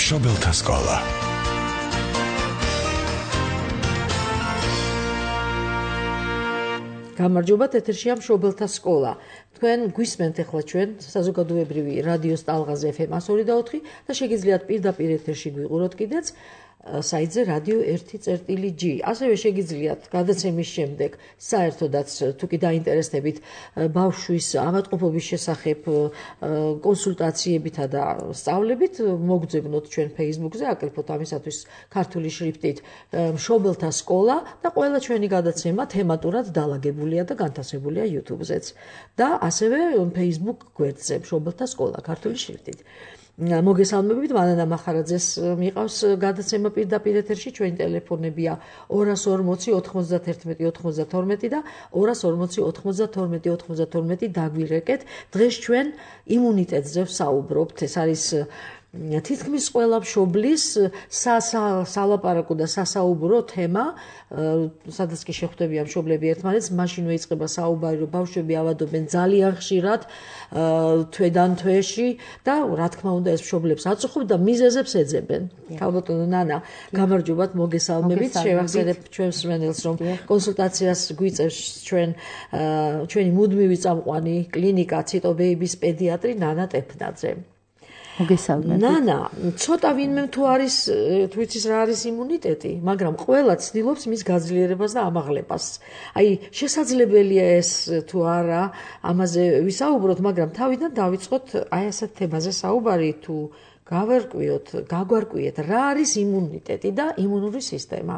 მშობელთა სკოლა. გამარჯობათ, ეთერშია მშობელთა სკოლა. თქვენ გვისმენთ ახლა ჩვენ საზოგადოებრივი რადიოს ტალღაზე FM 102.4 და შეგიძლიათ პირდაპირ ეთერში გვიყუროთ კიდეც საიტზე რადიო 1.G. ასევე შეგიძლიათ გადაცემის შემდეგ საერთოდაც თუ კი დაინტერესდებით ბავშვის ავადმყოფობის შესახებ კონსულტაციებითა და სწავლებით მოგძებნოთ ჩვენ Facebook-ზე, აკრიფოთ ამისათვის ქართული შრიფტით მშობელთა სკოლა და ყველა ჩვენი გადაცემა თემატურად დალაგებულია და განთავსებულია YouTube-ზეც და ასევე Facebook გვერდზე მშობელთა სკოლა ქართული შრიფტით. მოგესალმებით, მანანა მახარაძეს მიყავს გადაცემა პირდაპირ ეთერში, ჩვენი ტელეფონებია 240 91 92 და 240 92 92 დაგვირეკეთ. დღეს ჩვენ იმუნიტეტზე ვსაუბრობთ. ეს არის თითქმის ყველა მშობლის სალაპარაკო და სასაუბრო თემა, სადაც კი შეხვდებიან მშობლები ერთმანეთს, მაშინვე იწყება საუბარი, რომ ბავშვები ავადობენ ძალიან ხშირად, თვედან თვეში და რა თქმა უნდა ეს მშობლებს აწუხებს და მიზეზებს ეძებენ. ქალბატონო ნანა, გამარჯობათ, მოგესალმებით, შევახსენებთ ჩვენს მსმენელს, რომ კონსულტაციას გვიწევს ჩვენი მუდმივი წამყვანი კლინიკა ციტობეიბის პედიატრი ნანა ტეფნაძე. მოგესალმებით. ნანა, ცოტა ვინმე თუ იცის რა არის იმუნიტეტი, მაგრამ ყველა ცდილობს მის გაძლიერებას და ამაღლებას. აი, შესაძლებელია ეს თუ არა, ამაზე ვისაუბროთ, მაგრამ თავიდან დავიწყოთ აი ასეთ თემაზე საუბარი, თუ გაგვარკვიოთ, რა არის იმუნიტეტი და იმუნური სისტემა.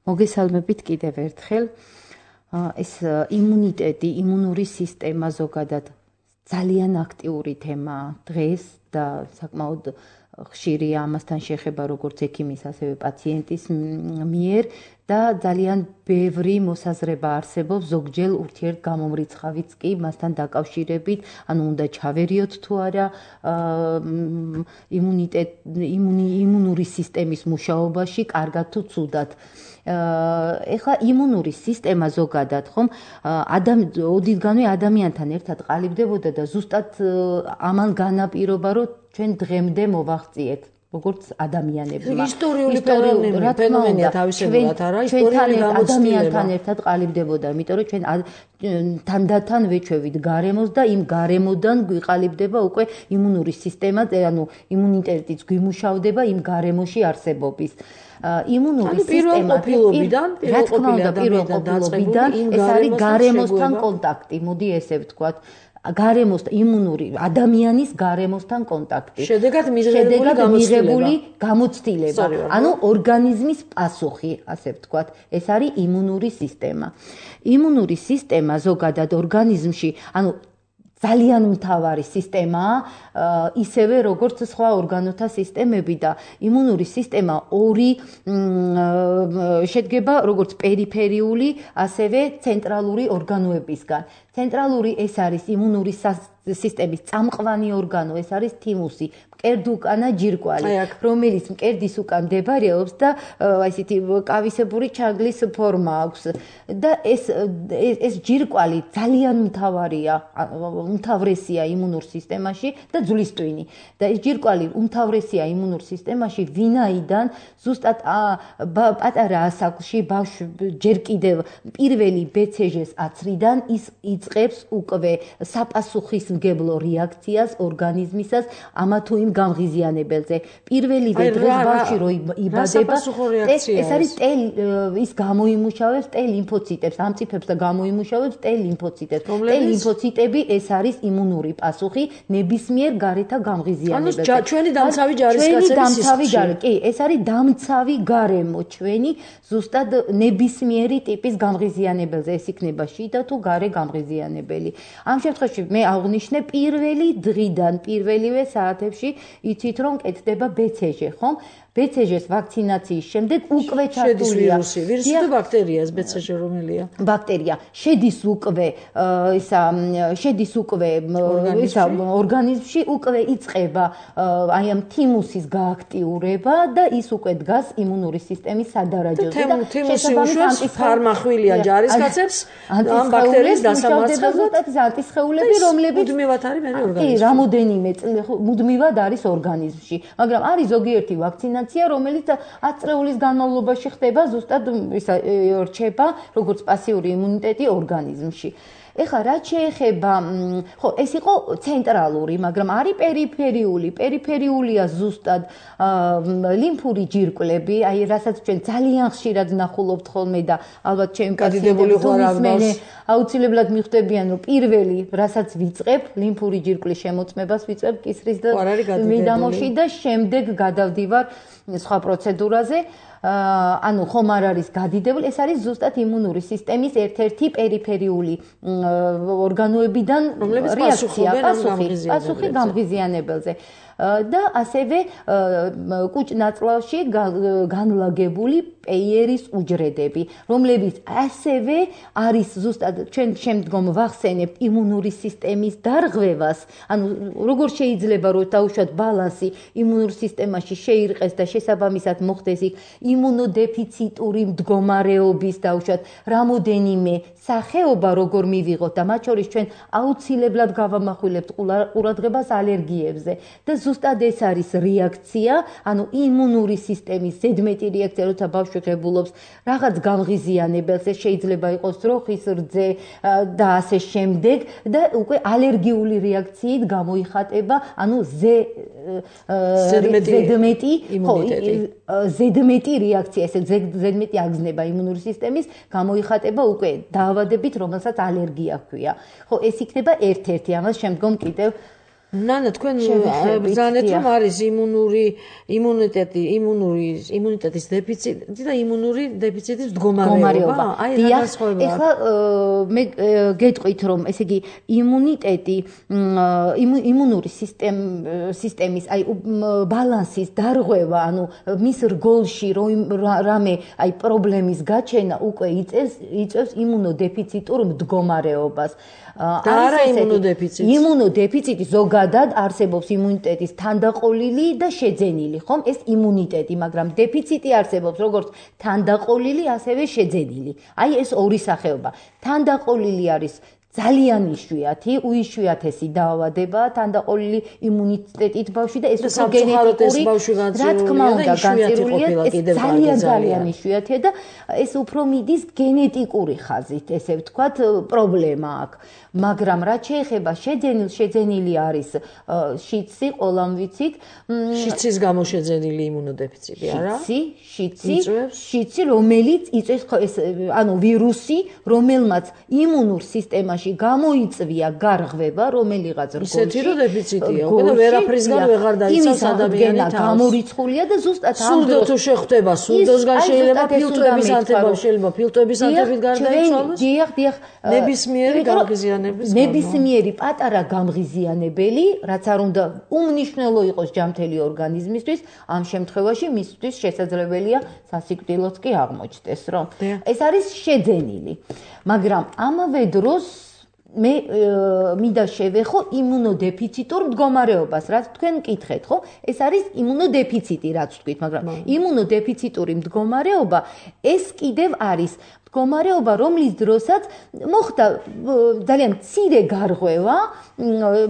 მოგესალმებით კიდევ ერთხელ. ეს იმუნიტეტი, იმუნური სისტემა ზოგადად ძალიან აქტიური თემაა დღეს და საკმაოდ ხშირია ამასთან შეხება როგორც ექიმის, ასევე პაციენტის მიერ და ძალიან ბევრი მოსაზრება არსებობს, ზოგჯერ ურთიერთგამომრიცხავიც კი მასთან დაკავშირებით, ანუ უნდა ჩავერიოთ თუ არა იმუნური სისტემის მუშაობაში, კარგად თუ ცუდად. ეხლა იმუნური სისტემა ზოგადად ხომ ოდითგანვე ადამიანთან ერთად ყალიბდებოდა და ზუსტად ამან განაპირობა, რომ ჩვენ დღემდე მოვაღწიეთ როგორც ადამიანებმა. ისტორიული ფენომენია თავისებურად, არა? ისტორიული გამოცდილება. ადამიანთან ერთად ყალიბდებოდა, იმიტომ რომ ჩვენ თანდათან ვეჩვევით გარემოს და იმ გარემოდან გვიყალიბდება უკვე იმუნური სისტემა, ანუ იმუნიტეტიც გვიმუშავდება იმ გარემოში არსებობის. იმუნური სისტემა რა თქმა უნდა პირველყოფილობიდან ეს არის გარემოსთან კონტაქტი, მოდი ესე ვთქვათ. ადამიანის გარემოსთან კონტაქტი. შედეგად მიღებული გამოცდილება. ანუ ორგანიზმის პასუხი, ასე ვთქვათ. ეს არის იმუნური სისტემა. იმუნური სისტემა ზოგადად ორგანიზმში, ანუ ძალიან მთავარი სისტემაა, ისევე როგორც სხვა ორგანოთა სისტემები და იმუნური სისტემა ორი შედგება როგორც პერიფერიული, ასევე ცენტრალური ორგანოებისგან. ცენტრალური ეს არის იმუნური სისტემის წამყვანი ორგანო, ეს არის თიმუსი, მკერდუკანა ჯირკვალი, რომელიც მკერდის უკან მდებარეობს და ესეთი კავისებური ჩაგლის ფორმა აქვს. და ეს ჯირკვალი ძალიან უმთავრესია იმუნურ სისტემაში და ძვლის ტვინი. და ეს ჯირკვალი უმთავრესია იმუნურ სისტემაში, ვინაიდან ზუსტად პატარა ასაკში ჯერ კიდევ პირველი BCG-ს აცრიდან ის იწყებს უკვე საპასუხისმგებლო რეაქციას ორგანიზმისას ამა თუ იმ გამღიზიანებელზე. პირველივე დღეს ბავშვი რო იბადება, ეს არის ის გამოიმუშავებს T-ლიმფოციტებს, ამწიფებს და გამოიმუშავებს T-ლიმფოციტებს. T-ლიმფოციტები ეს არის იმუნური პასუხი ნებისმიერ გარეთა გამღიზიანებელზე. ანუ ჩვენი დამცავი ჯარისკაცების სისტემა. კი, ეს არის დამცავი გარემო ჩვენი ზუსტად ნებისმიერი ტიპის გამღიზიანებელზე. ეს იქნება შიდა თუ გარე გამღიზიანებელი. ამ შემთხვევაში მე აღვნიშნე პირველი დღიდან, პირველივე საათებში იცით რომ კეთდება BCG, ხომ? BCG-ს ვაქცინაციის შემდეგ უკვე ჩართულია ვირუსი და ბაქტერია, ეს BCG რომელია? ბაქტერია შედის უკვე ორგანიზმში უკვე იწყება აი ამ თიმუსის გააქტიურება და ის უკვე დგას იმუნური სისტემის სადარაჯოზე და თიმუსი უშვებს ფარმახვილია ჯარისკაცებს ამ ბაქტერიის დასამარცხებლად. მრავლდება ზუსტად ის ანტისხეულები, რომლებიც მუდმივად არის მე ორგანიზმში. კი, რამოდენიმე მუდმივად არის ორგანიზმში. მაგრამ არის ზოგიერთი ვაქცინაცია, რომელიც 10 წლების განმავლობაში ხდება, ზუსტად რჩება როგორც პასიური იმუნიტეტი ორგანიზმში. ეხლა რაც შეეხება, ხო, ეს იყო ცენტრალური, მაგრამ არის პერიფერიული. პერიფერიულია ზუსტად ლიმფური ჯირკვლები, აი რასაც ჩვენ ძალიან ხშირად ნახულობთ ხოლმე და ალბათ ჩემი პაციენტები აუცილებლად მიხვდებიან, რომ პირველი, რასაც ვიწყებ, ლიმფური ჯირკვლის შემოწმებას ვიწყებ კისრის და მიდამოში და შემდეგ გადავდივარ სხვა პროცედურაზე. ანუ ხომ არ არის გადიდებული, ეს არის ზუსტად იმუნური სისტემის ერთ-ერთი პერიფერიული ორგანოებიდან რეაქცია, პასუხი გამღიზიანებელზე. და ასევე კუჭ-ნაწლავში განლაგებული პეიერის უჯრედები, რომლებიც ასევე არის ზუსტად ჩვენ შემდგომ ვახსენებთ იმუნური სისტემის დარღვევას, ანუ როგორ შეიძლება რომ დაუშვათ ბალანსი იმუნურ სისტემაში შეირყეს და შესაბამისად მოხდეს იქ იმუნოდეფიციტური მდგომარეობის დაუშვათ რამოდენიმე სახეობა როგორ მივიღოთ და მათ შორის ჩვენ აუცილებლად გავამახვილებთ ყურადღებას ალერგიებზე და ზუსტად ეს არის რეაქცია, ანუ იმუნური სისტემის ზედმეტი რეაქცია, როცა ბავშვი ღებულობს რაღაც გამღიზიანებელს, ეს შეიძლება იყოს ძროხის რძე და ასე შემდეგ და უკვე ალერგიული რეაქციით გამოიხატება, ანუ ზედმეტი რეაქცია, ესე ზედმეტი აგზნება იმუნური სისტემის გამოიხატება უკვე დაავადებით, რომელსაც ალერგია ჰქვია. ხო, ეს იქნება ერთ-ერთი, ამას შემდგომ კიდევ ნანა, თქვენ ბრძანეთ, რომ არის იმუნიტეტის დეფიციტი და იმუნური დეფიციტის მდგომარეობა. აი, რა განსხვავება? ეხლა მე გეტყვით, რომ ესე იგი იმუნიტეტი, იმუნური სისტემის, აი ბალანსის დარღვევა, ანუ მის რგოლში რამე აი პრობლემის გაჩენა უკვე იწევს იმუნოდეფიციტურ მდგომარეობას. და არა იმუნოდეფიციტი. იმუნოდეფიციტი ზოგადად არსებობს იმუნიტეტის თანდაყოლილი და შეძენილი, ხომ? ეს იმუნიტეტი, მაგრამ დეფიციტი არსებობს როგორც თანდაყოლილი, ასევე შეძენილი. აი ეს ორი სახეობა. თანდაყოლილი არის ძალიან იშვიათი, უიშვიათესი დაავადება, თანდაყოლილი იმუნიტეტით ბავშვი და ეს უფრო გენეტიკური, რა თქმა უნდა, განცირულია, ეს ძალიან იშვიათია და ეს უფრო მიდის გენეტიკური ხაზით, ესე ვთქვათ, პრობლემა აქვს. მაგრამ რაც შეეხება შეძენილი არის შიცი, ყველამ ვიცით. შიცის გამო შეძენილი იმუნოდეფიციტი, არა? შიცი, რომელიც იწვევს ანუ ვირუსი, რომელმაც იმუნურ სისტემაში გამოიწვია გარღვევა, რომელიღაც რგოლში. ისეთი რო დეფიციტია, უკვე ვერაფრისგან ვეღარ დაიცავს ადამიანი თავს. გამორიცხულია და ზუსტად სულდო თუ შეხვდება, სულდოსგან შეიძლება ფილტვების ანთება, შეიძლება ფილტვების ანთებით გარდაიცვალოს. დიახ. ნებისმიერი გამღიზიანების გამო. ნებისმიერი პატარა გამღიზიანებელი, რაც არ უნდა უმნიშვნელო იყოს ჯანმრთელი ორგანიზმისთვის, ამ შემთხვევაში მისთვის შესაძლებელია სასიკვდილოც კი აღმოჩნდეს, რომ ეს არის შეძენილი. მაგრამ ამავე დროს მე მინდა შევეხო იმუნოდეფიციტურ მდგომარეობას, რაც თქვენ მკითხეთ, ხო? ეს არის იმუნოდეფიციტი, რაც ვთქვით, მაგრამ იმუნოდეფიციტური მდგომარეობა ეს კიდევ არის მდგომარეობა, რომლის დროსაც მოხდა ძალიან მცირე გარღვევა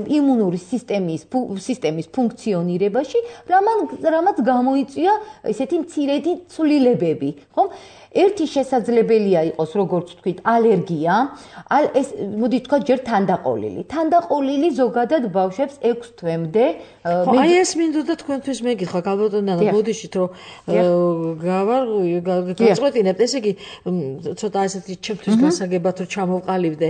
იმუნური სისტემის ფუნქციონირებაში, რამაც გამოიწვია ესეთი მცირედი ცვლილებები, ხო? ერთი შესაძლებელია იყოს, როგორც ვთქვით, ალერგია, ეს მოდი თქვა ჯერ თანდაყოლილი. თანდაყოლილი ზოგადად ბავშვებს 6 თვემდე აი ეს მინდოდა თქვენთვის მეკითხა, გალბატონო, ბოდიშით რომ გავაწყვეტინებთ, ესე იგი ცოტა ესეთი ჩემთვის გასაგებად რომ ჩამოვყალიბდე.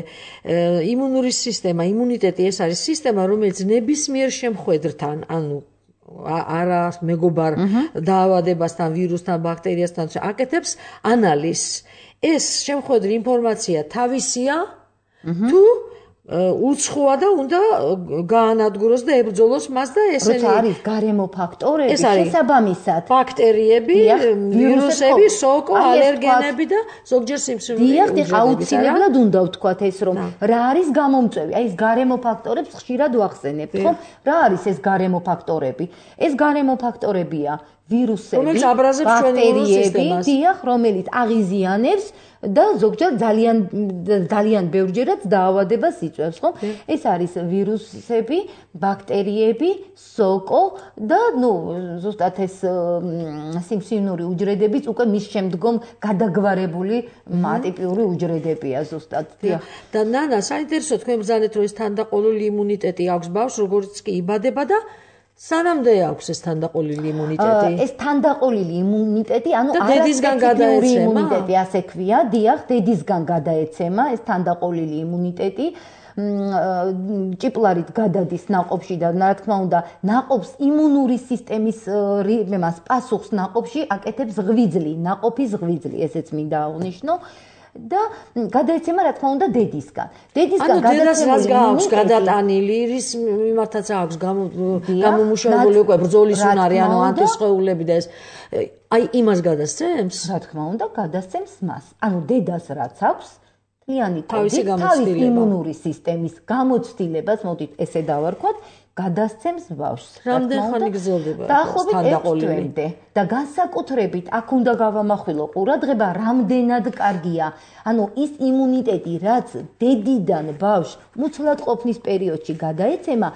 იმუნური სისტემა, იმუნიტეტი ეს არის სისტემა, რომელიც ნებისმიერ შემხვედრთან, ანუ არა მეგობარ დაავადებასთან, ვირუსთან, ბაქტერიასთან აკეთებს ანალიზს. ეს შემხვედრი ინფორმაცია თავისია თუ უცხოა და უნდა გაანადგუროს და ებრძოლოს მას და ესენი როცა არის გარემო ფაქტორები შესაბამისად ბაქტერიები, ვირუსები, სოკო, ალერგენები და ზოგჯერ სიმსივნე. დიახ, აუცილებლად უნდა ვთქვათ ეს რომ რა არის გამომწვევი. აი ეს გარემო ფაქტორებს ხშირად ვახსენებთ, ხო? რა არის ეს გარემო ფაქტორები? ეს გარემო ფაქტორებია ვირუსები, რომელიც აბრაზებს ჩვენი იმუნურ სისტემას. დიახ, რომელიც აღიზიანებს და ზოგჯერ ძალიან ბევრჯერაც დაავადებას იწვევს, ხო? ეს არის ვირუსები, ბაქტერიები, სოკო და ზუსტად ეს სიმსივნური უჯრედებიც უკვე მის შემდგომ გადაგვარებული ატიპიური უჯრედებია ზუსტად. დიახ. და ნანა, საინტერესო თქვენ ბრძანეთ, რომ ეს თანდაყოლილი იმუნიტეტი აქვს ბავშვს, როგორც კი იბადება და სანამდე აქვს ეს თანდაყოლილი იმუნიტეტი? ეს თანდაყოლილი იმუნიტეტი, დედისგან გადაეცემა? იმუნიტეტი, ასე ქვია, დიახ, დედისგან გადაეცემა ეს თანდაყოლილი იმუნიტეტი. ჭიპლარით გადადის ნაყოფში და რა თქმა უნდა, ნაყოფს იმუნური სისტემის პასუხს ნაყოფში აკეთებს ღვიძლი, ნაყოფის ღვიძლი, ესეც მინდა აღვნიშნო. და გადაეცემა რა თქმა უნდა დედისგან. დედისგან გადაცემული აქვს გადატანილი, რის მიმართაც აქვს გამომუშავებული უკვე ბრძოლის უნარი, ანტისხეულები და ეს აი იმას გადასცემს? რა თქმა უნდა, გადასცემს მას. დედას რაც აქვს მთლიანი თავისი იმუნური სისტემის გამოცდილებას, მოდით ესე დავარქვათ, გადასცემს ბავშვს. რამდენი ხანი გრძელდება თანდაყოლილი? და განსაკუთრებით აქ უნდა გავამახვილო ყურადღება, რამდენად კარგია. ის იმუნიტეტი, რაც დედიდან ბავშვს მუცლად ყოფნის პერიოდში გადაეცემა,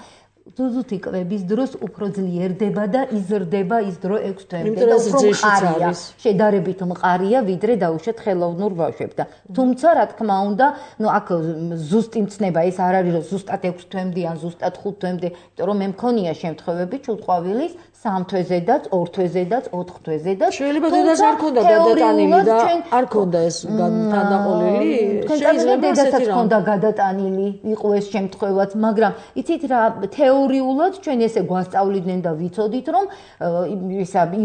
ზუსტი კვების დროს უფრო ძლიერდება და იზრდება ის დრო 6 თვემდე და უფრო მყარია. შედარებით მყარია, ვიდრე დაუშვათ ხელოვნურ ბავშვებთან. თუმცა, რა თქმა უნდა, აქ ზუსტი მცნება ეს არ არის, რომ ზუსტად 6 თვემდე ან ზუსტად 5 თვემდე, იმიტომ რომ მე მქონია შემთხვევები ჩუტყვავილის 3 თვეზედაც, 2 თვეზედაც, 4 თვეზედაც. შეიძლება დედას არ ქონდა გადატანილი და არ ქონდა ეს თანდაყოლილი. შეიძლება დედასაც ქონდა გადატანილი, იყო ეს შემთხვევაც, მაგრამ იცით რა, თეორიულად ჩვენ ესე გვასწავლიდნენ და ვიცოდით, რომ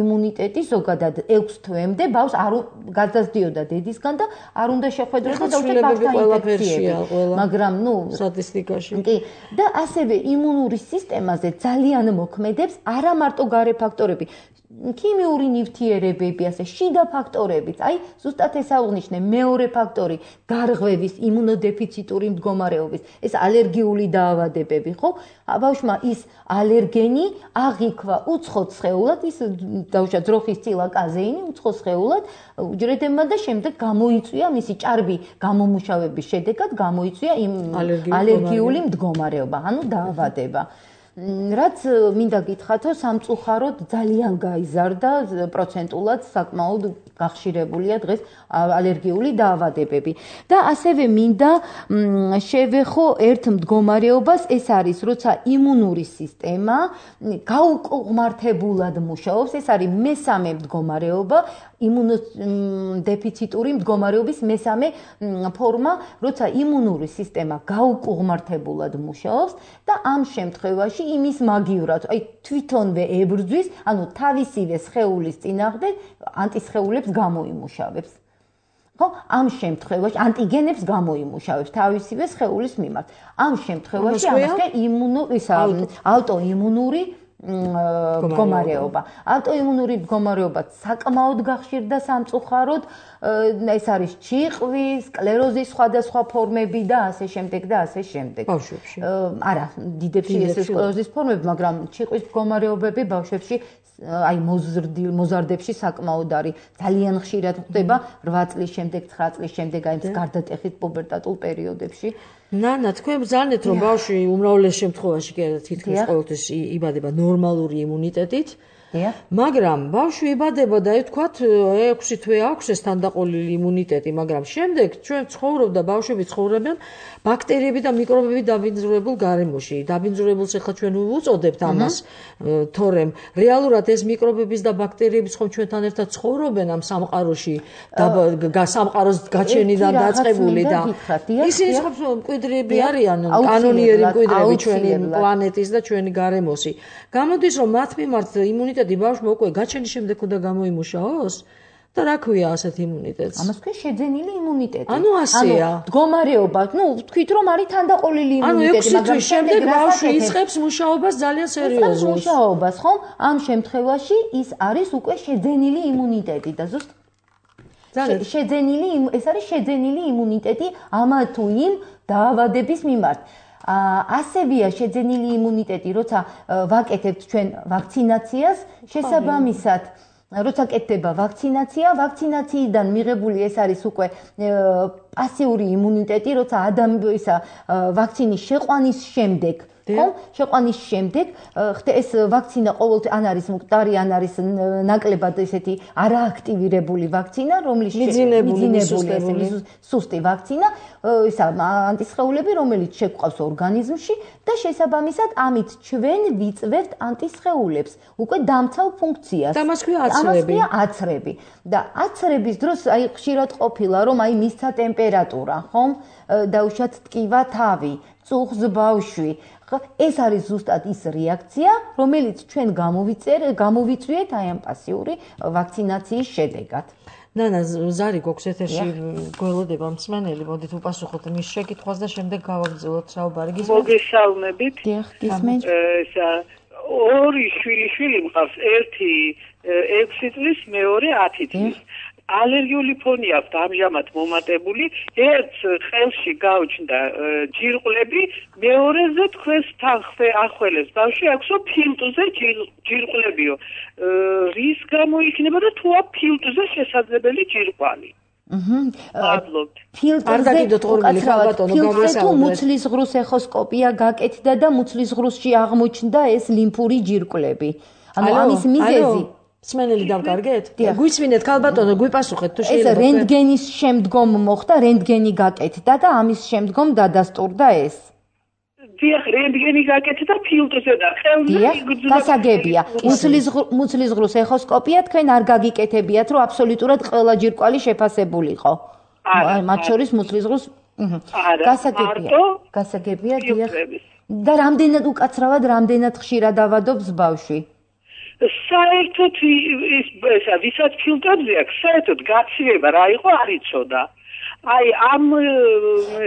იმუნიტეტი ზოგადად 6 თვემდე ბავშვს არ გადასდიოდა დედისგან და არ უნდა შეხვედროდა დაუშვათ ბავშვთან ინფექციები. მაგრამ სტატისტიკაში. კი, და ასევე იმუნური სისტემაზე ძალიან მოქმედებს არა მარტო გარე ფაქტორები, ქიმიური ნივთიერებები, ასე შიდა ფაქტორებიც. ზუსტად ეს აღვნიშნე, მეორე ფაქტორი, გარღვევის, იმუნოდეფიციტური მდგომარეობის, ეს ალერგიული დაავადებები, ხო? ბავშვმა ის ალერგენი აღიქვა უცხო სხეულად, ის დაუშვათ ძროხის ცილა კაზეინი უცხო სხეულად უჯრედებმა და შემდეგ გამოიწვია მისი ჭარბი გამომუშავების შედეგად გამოიწვია ალერგიული მდგომარეობა, დაავადება. რაც მინდა გითხრათო, სამწუხაროდ ძალიან გაიზარდა პროცენტულად საკმაოდ გახშირებულია დღეს ალერგიული დაავადებები. და ასევე მინდა შევეხო ერთ მდგომარეობას, ეს არის, როცა იმუნური სისტემა გაუკუღმართებულად მუშაობს, ეს არის მესამე მდგომარეობა, იმუნოდეფიციტური მდგომარეობის მესამე ფორმა, როცა იმუნური სისტემა გაუკუღმართებულად მუშაობს და ამ შემთხვევაში იმის მაგივრად, თვითონვე ებრძვის, თავისივე სხეულის წინააღმდეგ ანტისხეულებს გამოიმუშავებს. ხო, ამ შემთხვევაში ანტიგენებს გამოიმუშავებს თავისივე სხეულის მიმართ. ამ შემთხვევაში ამას ავტოიმუნური მდგომარეობა. ავტოიმუნური მდგომარეობა საკმაოდ გახშირდა სამწუხაროდ, ეს არის ჩიყვის, სკლეროზის სხვადასხვა ფორმები და ასე შემდეგ და ასე შემდეგ. ბავშვებში. არა, დიდებში ეს სკლეროზის ფორმები, მაგრამ ჩიყვის მდგომარეობები ბავშვებში მოზარდებში საკმაოდ არის. ძალიან ხშირად ხდება 8 წლის შემდეგ, 9 წლის შემდეგ, გარდატეხით პუბერტატულ პერიოდებში. ნანა, თქვენ ბრძანეთ, რომ ბავშვი უმრავლეს შემთხვევაში თითქმის ყოველთვის იბადება ნორმალური იმუნიტეტით. მაგრამ ბავშვი იბადება და ვთქვათ 6 თვე აქვს ეს თანდაყოლილი იმუნიტეტი, მაგრამ შემდეგ ჩვენ ცხოვრობ და ბავშვები ცხოვრობენ ბაქტერიები და მიკრობები დაბინძურებულ გარემოში. დაბინძურებულს ახლა ჩვენ უწოდებთ ამას, თორემ რეალურად ეს მიკრობების და ბაქტერიების ხომ ჩვენთან ერთად ცხოვრობენ ამ სამყაროში, სამყაროს გაჩენიდან დაწყებული და ისინი ხომ მკვიდრები არიან, კანონიერი მკვიდრები ჩვენი პლანეტის და ჩვენი გარემოსი. გამოდის რომ მათ მიმართ იმუნიტეტი ბავშვმა უკვე გაჩენის შემდეგ უნდა გამოიმუშაოს? და რა ქვია ასეთ იმუნიტეტს? ამას ქვია შეძენილი იმუნიტეტი. ასეა. მდგომარეობა, თქვით რომ არის თანდაყოლილი იმუნიტეტი, მაგრამ შემდეგ ბავშვი იწყებს მუშაობას ძალიან სერიოზულად. მუშაობას, ხომ? ამ შემთხვევაში ის არის უკვე შეძენილი იმუნიტეტი და ზუსტ ეს არის შეძენილი იმუნიტეტი ამა თუ იმ დაავადების მიმართ. ასევია შეძენილი იმუნიტეტი, როცა ვაკეთებთ ჩვენ ვაქცინაციას, შესაბამისად როცა კეთდება ვაქცინაცია, ვაქცინაციიდან მიღებული ეს არის უკვე პასიური იმუნიტეტი, როცა ადამიანისა ვაქცინის შეყვანის შემდეგ ხომ? შეყვანის შემდეგ ეს ვაქცინა ყოველთვის ან არის მკვდარი, ან არის ნაკლებად ესეთი არააქტივირებული ვაქცინა, რომლის მიძინებული სუსტი ვაქცინა, ისა ანტისხეულები, რომელიც შეგვყავს ორგანიზმში და შესაბამისად ამით ჩვენ ვიწვევთ ანტისხეულებს, უკვე დამცავ ფუნქციას. და მას ქვია აცრები. და აცრების დროს აი ხშირად ყოფილა, რომ აი მისცა ტემპერატურა, ხომ? დაუშვათ ტკივა თავი, წუხს ბავშვი. ეს არის ზუსტად ის რეაქცია, რომელიც ჩვენ გამოვიწვიეთ აი ამ პასიური ვაქცინაციის შედეგად. ნანა, ზარი გვაქვს ეთერში გველოდება მსმენელი, მოდით უპასუხოთ მის შეკითხვას და შემდეგ გავაგრძელოთ საუბარი. მოგესალმებით. დიახ, გისმენთ. ორი შვილი მყავს, ერთი 6 წლის, მეორე 10 წლის. ალერგიული ფონი აქვს ამჟამად მომატებული, ერთ ხელში გაუჩნდა ჯირყვლები, მეორეზე თქვენს თანხმე ახველებს ბავშვი აქვსო ფილტვზე ჯირყვლებიო. რის გამო იქნება და თუ აქვს ფილტვზე შესაძლებელი ჯირკვალი? მადლობთ. ფილტვზე თუ მუცლის ღრუს ეხოსკოპია გაკეთდა და მუცლის ღრუსში აღმოჩნდა ეს ლიმფური ჯირკვლები. ანუ ამის მიზეზი მსმენელი დავკარგეთ? გვისმინეთ ქალბატონო, გვიპასუხეთ თუ შეიძლება. ეს რენტგენის შემდგომ მოხდა, რენტგენი გაკეთდა და ამის შემდგომ დადასტურდა ეს. დიახ, რენტგენი გაკეთდა ფილტვზე და ხელზე გასაგებია. მუცლის ღრუს ეხოსკოპია თქვენ არ გაგიკეთებიათ, რომ აბსოლუტურად ყველა ჯირკვალი შეფასებულიყო. მათ შორის მუცლის ღრუს გასაგებია, დიახ. და რამდენად უკაცრავად, რამდენად ხშირად ავადობს ბავშვი? საერთოდ ესა ვისაც ფილტვებზე აქვს, საერთოდ გაცივება რა იყო არ იცოდა. აი ამ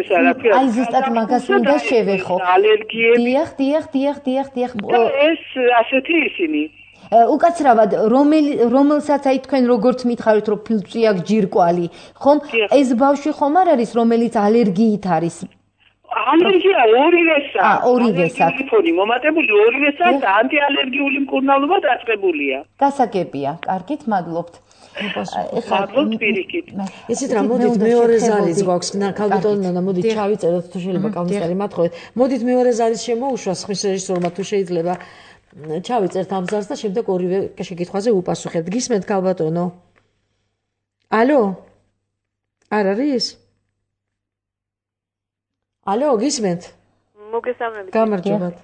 ესა რა ქვია. აი ზუსტად მაგას მინდა შევეხო. ალერგიები. დიახ. ეს ასეთი ისინი. უკაცრავად რომელსაც აი თქვენ როგორც მითხარით რომ ფილტვი აქვს ჯირკვალი, ხომ? ეს ბავშვი ხომ არ არის რომელიც ალერგიით არის? ალერგია ორივესაა. ორივესაც. ფონი მომატებული ორივესაც და ანტიალერგიული მკურნალობა დაწყებულია. გასაგებია. კარგით, მადლობთ. მადლობთ პირიქით. ისეთ რა მოდით მეორე ზარიც გვაქვს. ქალბატონო, მოდით ჩავიწეროთ თუ შეიძლება კამისარი მათხოვეთ. მოდით მეორე ზარის შემოუშვა ხმის რეჟისორმა თუ შეიძლება ჩავიწერთ ამ ზარს და შემდეგ ორივე შეკითხვაზე უპასუხებთ. გისმენთ ქალბატონო? ალო? არ არის? ალო, გისმენთ? მოგესალმებით. გამარჯობათ.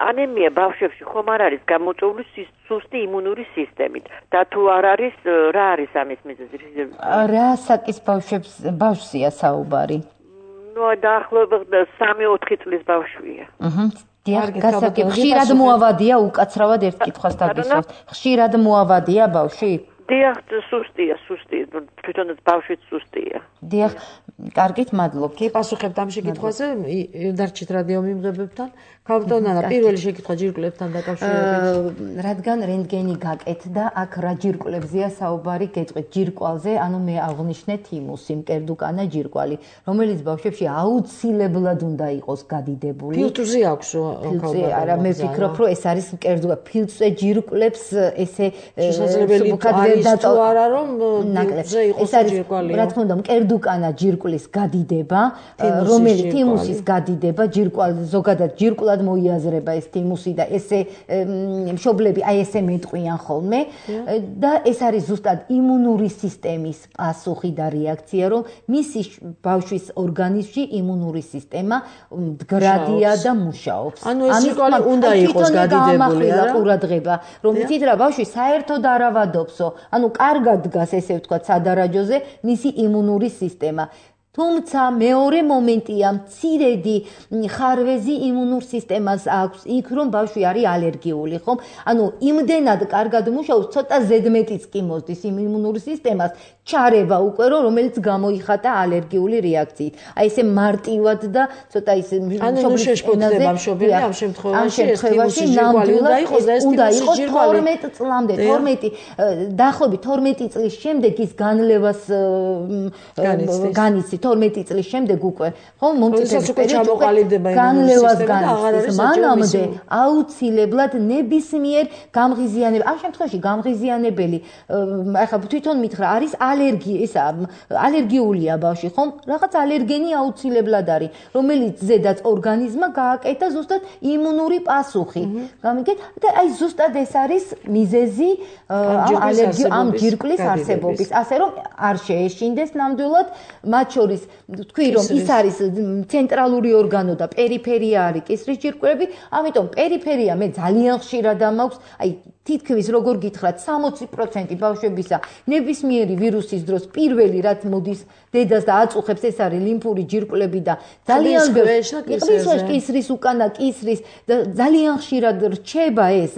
ანემია ბავშვებში ხომ არ არის გამოწვეული სუსტი იმუნური სისტემით და თუ არ არის, რა არის ამის მიზეზი? რა საკის ბავშვია საუბარი? ნუ დაახლოებით 3-4 წლის ბავშვია. დიახ, გასაგებია. ხშირად მოავადია უკაცრავად ერთ კითხვას დაგისვათ. ხშირად მოავადია ბავშვი? დიახ, სუსტია, თვითონაც ბავშვიც სუსტია. დიახ, კარგით, მადლობთ. გიპასუხებთ ამ შეკითხვაზე დარჩით რადიო მიმღებებთან. ქალბატონო, პირველი შეკითხვა ჯირკვლებთან დაკავშირებით. რადგან რენტგენი გაკეთდა, აქ რა ჯირკვლებზეა საუბარი, გეტყვით ჯირკვალზე, ანუ მე აღვნიშნე თიმუსი, მკერდუკანა ჯირკვალი, რომელიც ბავშვებში აუცილებლად უნდა იყოს გადიდებული. ფილტვზე აქვს ქალბატონო. არა, მე ვფიქრობ, რომ ეს არის მკერდუკა. ფილტვზე ჯირკვლებს ესე შესაძლებელი არის თუ არა რომ ფილტვზე იყოს ჯირკვალი. რა თქმა უნდა, მკერდუკანა ჯირკვლის გადიდება, რომელიც თიმუსის გადიდება, ჯირკვალი ზოგადად ჯირკვლად მოიაზრება ეს თიმუსი და ესე მშობლები აი ესე მეტყვიან ხოლმე და ეს არის ზუსტად იმუნური სისტემის პასუხი და რეაქცია, რომ მისი ბავშვის ორგანიზმში იმუნური სისტემა მდგრადია და მუშაობს. ამის უნდა იყოს გადიდებული რა ყურადღება, რომ იცით რა ბავშვი საერთოდ არ ავადობსო, ანუ კარგად დგას ესე ვთქვათ სადარაჯოზე მისი იმუნური სისტემა. თუმცა მეორე მომენტია მცირედი ხარვეზი იმუნურ სისტემას აქვს იქ რომ ბავშვი არის ალერგიული ხომ ანუ იმდენად კარგად მუშაობს ცოტა ზედმეტიც კი მოსდის იმ იმუნურ სისტემას ჩარევა უკვე რომელიც გამოიხატა ალერგიული რეაქციით აი ესე მარტივად და ცოტა ის მშობლები ამ შემთხვევაში ნამდვილად უნდა იყოს 12 წლამდე 12 დაახლოებით 12 წლის შემდეგ ის განლევას განიცდით 12 წლის შემდეგ უკვე ხო მომწიფების პერიოდში განლევას განიცდის მანამდე აუცილებლად ნებისმიერ გამღიზიანებელ ამ შემთხვევაში გამღიზიანებელი ახლა თვითონ მითხრა არის ალერგიულია ბავშვი ხომ რაღაც ალერგენი აუცილებლად არის რომელიც ზედაც ორგანიზმმა გააკეთა ზუსტად იმუნური პასუხი გამიგეთ და აი ზუსტად ეს არის მიზეზი ამ ჯირკვლის არსებობის ასე რომ არ შეეშინდეს ნამდვილად მათ შორის თქვი რომ ის არის ცენტრალური ორგანო და პერიფერია არის კისრის ჯირკვლები ამიტომ პერიფერია მე ძალიან ხშირად ამაქვს აი თითქმის როგორ გითხრათ 60% ბავშვებისა ნებისმიერი ვირუსის დროს პირველი რაც მოდის დედას და აწუხებს ეს არის ლიმფური ჯირკვლები და ძალიან ბევრი კისრის უკანა კისრის და ძალიან ხშირად რჩება ეს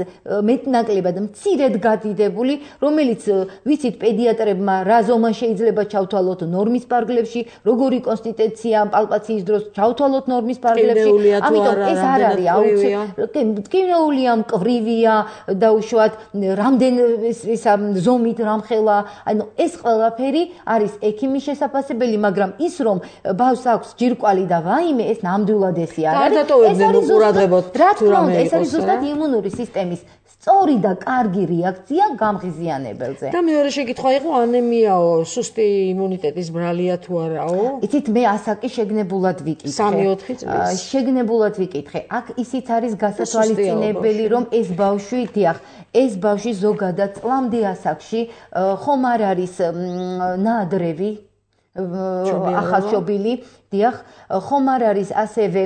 მეტნაკლებად მცირედ გადიდებული რომელიც ვიცით პედიატრებმა რა ზომა შეიძლება ჩავთვალოთ ნორმის პარგლებში როგორი კონსტიტუცია პალპაციის დროს ჩავთვალოთ ნორმის პარგლებში ამიტომ ეს არ არის აუცილებელი ტკივნეულია მკვრივია დაუშვათ რამდენ ისა ზომით რამხელა ანუ ეს ყველაფერი არის ექიმის შესაძლებელი მაგრამ ის რომ ბავშვს აქვს ჯირკვალი და ვაიმე ეს ნამდვილად ესე არ არის ეს არის ზუსტად იმუნური სისტემის სწორი და კარგი რეაქცია გამღიზიანებელზე. და მეორე შეკითხვა იყო ანემიაო, სუსტი იმუნიტეტის ბრალია თუ არაო? იცით მე ასაკი შეგნებულად ვიკითხე. 3-4 წლის. შეგნებულად ვიკითხე. აქ ისიც არის გასათვალისწინებელი რომ ეს ბავშვი, დიახ, ეს ბავშვი ზოგადად წლამდე ასაკში ხომ არ არის ნაადრევი ახალშობილი დიახ ხომ არ არის ასევე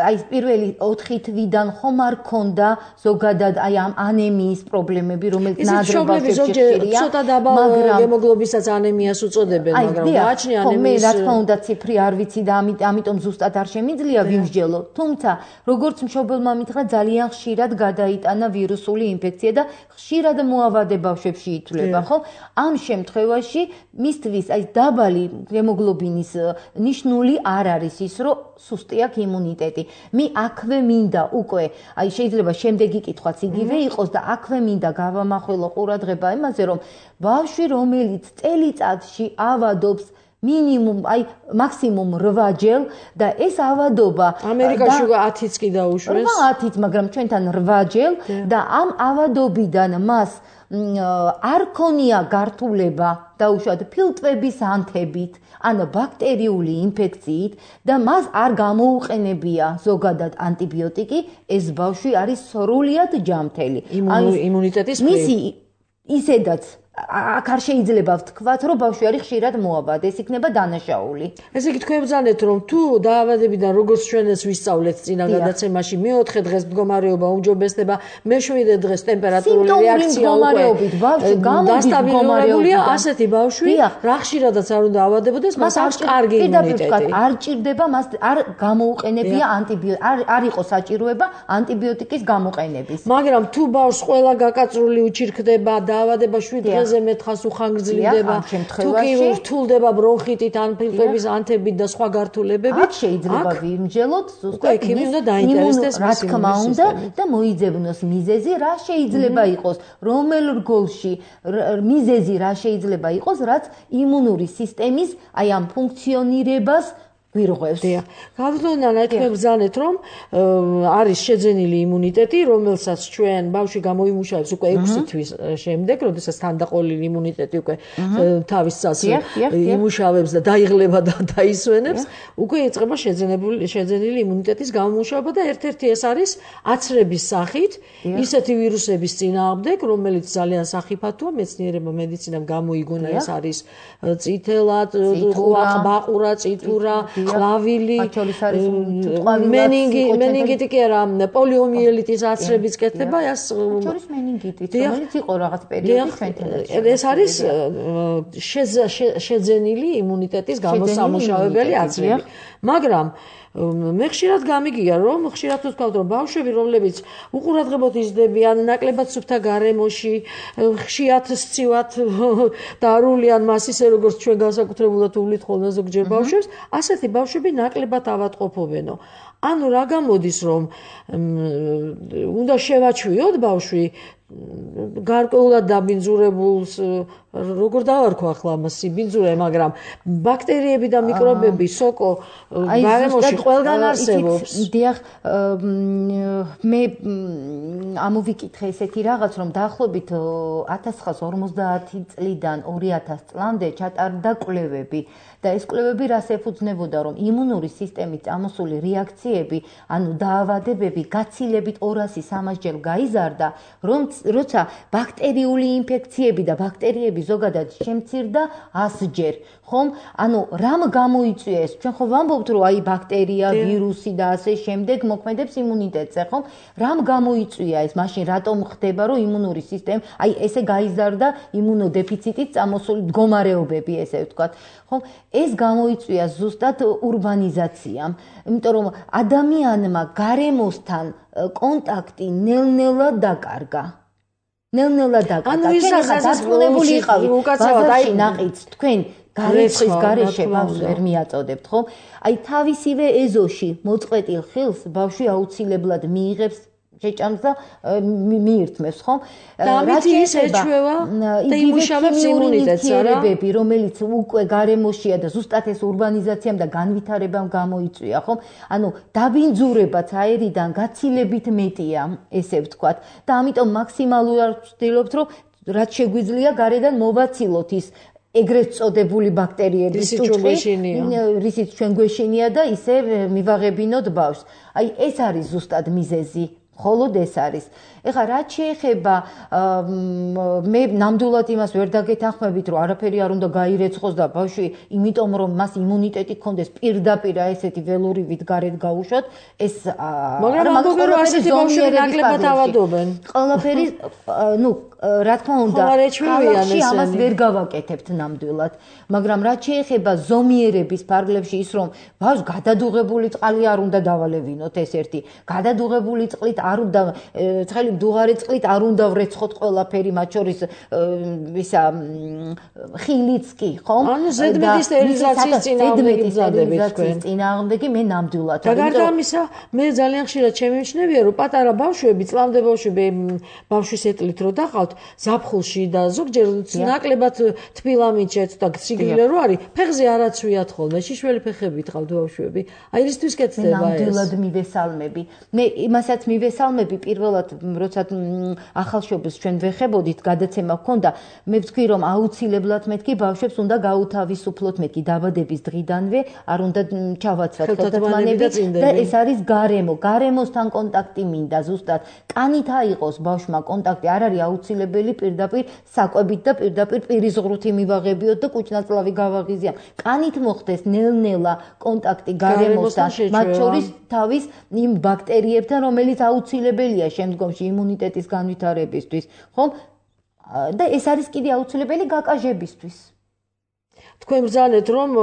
აი პირველი 4 თვიდან ხომ არ ქონდა ზოგადად აი ამ ანემიის პრობლემები რომელიც ნაადრევებში ხშირია ცოტა დაბალ ჰემოგლობინსაც ანემიას უწოდებენ მაგრამ გააჩნია ანემიის მე რა თქმა უნდა ციფრი არ ვიცი და ამიტომ ზუსტად არ შემიძლია ვიმსჯელო თუმცა როგორც მშობელმა მითხრა ძალიან ხშირად გადაიტანა ვირუსული ინფექცია და ხშირად მოავადე ბავშვებში ითვლება ხო ამ შემთხვევაში მისთვის აი დაბალი ჰემოგლობინის ნიშნული არ არის ის რომ სუსტი აქვს იმუნიტეტი. მე აქვე მინდა უკვე აი შეიძლება შემდეგი კითხვაც იგივე იყოს და აქვე მინდა გავამახვილო ყურადღება იმაზე რომ ბავშვი რომელიც წელიწადში ავადობს მინიმუმ აი მაქსიმუმ 8 ჯერ და ეს ავადობა ამერიკაში 10-იც კი დაუშვეს 10-იც მაგრამ ჩვენთან 8 ჯერ და ამ ავადობიდან მას არ ქონია გართულება დაუშვათ ფილტვების ანთებით ან ბაქტერიული ინფექციით და მას არ გამოუყენებია ზოგადად ანტიბიოტიკი ეს ბავშვი არის სრულად ჯანმრთელი იმუნიტეტის მისი ისედაც აქ არ შეიძლება ვთქვათ რომ ბავშვი არის ხშირად მოავადე ეს იქნება დანაშაული ესე იგი თქვენ ბრძანეთ რომ თუ დაავადებიდან როგორც ჩვენს ვისწავლეთ წინა გადაცემაში მე-4 დღეს მდგომარეობა უმჯობესდება მე-7 დღეს ტემპერატურული რეაქცია დასტაბილურებულია ასეთი ბავშვი რა ხშირადაც არ უნდა ავადებოდეს მას აქვს კარგი იმუნიტეტი არ ჭირდება მას არ გამოუყენებია ანტიბიოტიკი არ იყო საჭიროება ანტიბიოტიკის გამოყენების მაგრამ თუ ბავშვს ყველა გაკაწრული უჩირქდება დაავადება 7 დღეს ზემეთხას უხანგრძლივდება თუ კი რთულდება ბრონხიტით ან ფილტვების ანთებით და სხვა გართულებებით შეიძლება ვიმსჯელოთ ზუსტად ექიმი უნდა დაინტერესდეს რა თქმა უნდა და მოიძებნოს მიზეზი რა შეიძლება იყოს რომელ რგოლში მიზეზი რა შეიძლება იყოს რაც იმუნური სისტემის აი ამ ფუნქციონირებას ვირღვევს. დიახ. გავდონანა თქვენ ბრძანეთ რომ არის შეძენილი იმუნიტეტი, რომელსაც ჩვენ ბავშვი გამოიმუშავებს უკვე 6 თვის შემდეგ, როდესაც თანდაყოლილი იმუნიტეტი უკვე თავის წელს იმუშავებს და დაიღლება და დაისვენებს, უკვე იწყება შეძენილი იმუნიტეტის გამომუშავება და ერთ-ერთი ეს არის აცრების სახით ისეთი ვირუსების წინააღმდეგ, რომელიც ძალიან სახიფათოა, მეცნიერებმა მედიცინამ გამოიგონა ეს არის წითელა, ყბაყურა, წითურა ყლავილი მენინგიტი კი არა პოლიომიელიტის აცრების კეთება ეს შორის მენინგიტიც რომელიც იყო რაღაც პერიოდი ჩვენთან ეს არის შეძენილი იმუნიტეტის გამოსამუშავებელი აცრები მაგრამ მე ხშირად გამიგია რომ ხშირად ვთქვათ რომ ბავშვები რომლებიც უყურადღებოდ იზრდებიან ნაკლებად სუფთა გარემოში ხშირად სცივად დარულია მას ისე როგორც ჩვენ განსაკუთრებულად უვლით ხოლმე ზოგჯერ ბავშვებს ასეთი ბავშვები ნაკლებად ავადმყოფობენო ანუ რა გამოდის რომ უნდა შევაჩვიოთ ბავშვი გარკვეულად დაბინძურებულს როგორ დავარქვა ახლა ამას სიბინძურე მაგრამ ბაქტერიები და მიკრობები სოკო გარემოში ყველგან არსებობს დიახ მე ამოვიკითხე ესეთი რაღაც რომ დაახლოებით 1950 წლიდან 2000 წლამდე ჩატარდა კვლევები და ეს კვლევები რას ეფუძნებოდა რომ იმუნური სისტემით წამოსული რეაქციები ანუ დაავადებები გაცილებით 200-300 ჯერ გაიზარდა როცა ბაქტერიული ინფექციები და ბაქტერიები ზოგადად შემცირდა 100 ჯერ ხომ ანუ რამ გამოიწვია ეს ჩვენ ხო ვამბობთ რომ აი ბაქტერია ვირუსი და ასე შემდეგ მოქმედებს იმუნიტეტზე ხომ რამ გამოიწვია ეს მაშინ რატომ ხდება რომ იმუნური სისტემა აი ესე გაიზარდა იმუნოდეფიციტით წამოსული მდგომარეობები ესე ვთქვათ ხომ ეს გამოიწვია ზუსტად ურბანიზაციამ იმიტომ რომ ადამიანმა გარემოსთან კონტაქტი ნელ-ნელა დაკარგა ანუ ის დასრულებული იყავით ბაზარში ნაყიდს თქვენ გარეცხის გარეშე ბავშვს ვერ მიაწოდებთ ხო აი თავისივე ეზოში მოწყვეტილ ხილს ბავშვი აუცილებლად მიიღებს შეჭამს და მიირთმევს ხო და ამით ის ეჩვევა და იმუშავებს იმუნიტეტს არა რომელიც უკვე გარემოშია და ზუსტად ეს ურბანიზაციამ და განვითარებამ გამოიწვია ხო ანუ დაბინძურებაც აერიდან გაცილებით მეტია ესე ვთქვათ და ამიტომ მაქსიმალურად ვცდილობთ რომ რაც შეგვიძლია გარედან მოვაცილოთ ის ეგრეთ წოდებული ბაქტერიების ტუჩხი რისიც ჩვენ გვეშინია და ისე მივაღებინოთ ბავშვს აი ეს არის ზუსტად მიზეზი холод ეს არის. ეხლა რაც შეეხება მე ნამდვილად იმას ვერ დაგეთანხმებით, რომ არაფერი არ უნდა გაირეცხოს და ბავშვი, იმიტომ რომ მას იმუნიტეტი ჰქონდეს პირდაპირ ესეთი ველურივით გარეთ გაუშვათ, ეს მაგრამ ასეთი ბავშვები ნაკლებად ავადობენ. ყველაფერი, ну, რა თქმა უნდა, ქალაქში ამას ვერ გავაკეთებთ ნამდვილად, მაგრამ რაც შეეხება ზომიერების ფარგლებში ის რომ ბავშვს გადადუღებული წყალი არ უნდა დავალევინოთ ეს ერთი. გადადუღებული წყლით არ უნდა ცხელი მდუღარი წყლით არ უნდა ვრეცხოთ ყველაფერი მათ შორის ისა ხილიც კი ხომ? ანუ ზედმეტი სტერილიზაციის წინააღმდეგი მე ნამდვილად და გარდა ამისა მე ძალიან ხშირად შემიმჩნევია რომ პატარა ბავშვები წლამდე ბავშვის ეტლით რო დახავთ ზაფხულში და ზოგჯერ ნაკლებად თბილამიჩეთ და სიგრილე რო არის ფეხზე არაცვიათ ხოლმე შიშველი ფეხებით ყავთ ბავშვები აი რისთვის კეთდება ეს ნამდვილად მივესალმები მე იმასაც მივესალმები პირველად როცა ახალშობილს ჩვენ ვეხებოდით გადაცემა ჰქონდა მე ვთქვი რომ აუცილებლად მეთქი ბავშვებს უნდა გაუთავისუფლოთ მეთქი დაბადების დღიდანვე არ უნდა ჩავაცვათ ხელთათმანები და ეს არის გარემოსთან კონტაქტი მინდა ზუსტად კანით აიყოს ბავშვმა კონტაქტი არ არის აუცილებელი პირდაპირ საკვებით და პირდაპირ პირის ღრუთი მივაღებიოთ და კუჭნაწლავი გავაღიზიამ კანით მოხდეს ნელ-ნელა კონტაქტი გარემოსთან მათ შორის თავის იმ ბაქტერიებთან რომელიც აუცილებელია შემდგომში იმუნიტეტის განვითარებისთვის ხომ და ეს არის კიდე აუცილებელი გაკაჟებისთვის თქვენ ბრძანეთ რომ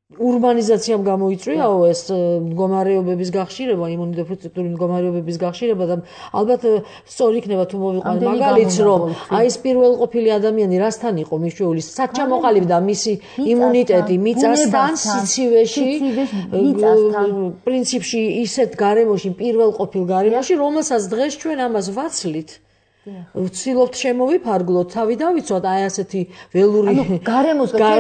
ურბანიზაციამ გამოიწვიაო ეს მდგომარეობების გახშირება, იმუნოდეფიციტური მდგომარეობების გახშირება და ალბათ სწორი იქნება თუ მოვიყვანოთ მაგალითს რომ აი ეს პირველყოფილი ადამიანი რასთან იყო მიშვეული, სად ჩამოყალიბდა მისი იმუნიტეტი მიწასთან, სიცივეში, პრინციპში ისეთ გარემოში, პირველყოფილ გარემოში, რომელსაც დღეს ჩვენ ამას ვაცლით. ვცდილობთ შემოვიფარგლოთ, თავი დავიცვათ აი ასეთი ველური გარემოსგან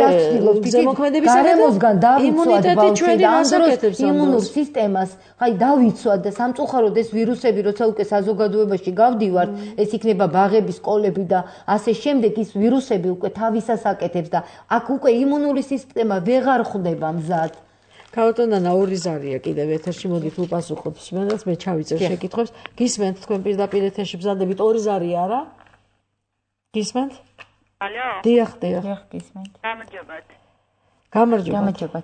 დავიცვათ იმუნიტეტი იმუნურ სისტემას, აი დავიცვათ და სამწუხაროდ ეს ვირუსები როცა უკვე საზოგადოებაში გავდივართ, ეს იქნება ბაღები, სკოლები და ასე შემდეგ ის ვირუსები უკვე თავისას აკეთებს და აქ უკვე იმუნური სისტემა ვეღარ ხვდება მზად. ქალბატონანა ორი ზარია კიდევ ეთერში მოდით უპასუხოთ სმენელს მე ჩავიწერ შეკითხვებს გისმენთ თქვენ პირდაპირ ეთერში ბზანდებით ორი ზარია რა გისმენთ ალო დიახ გისმენთ გამარჯობა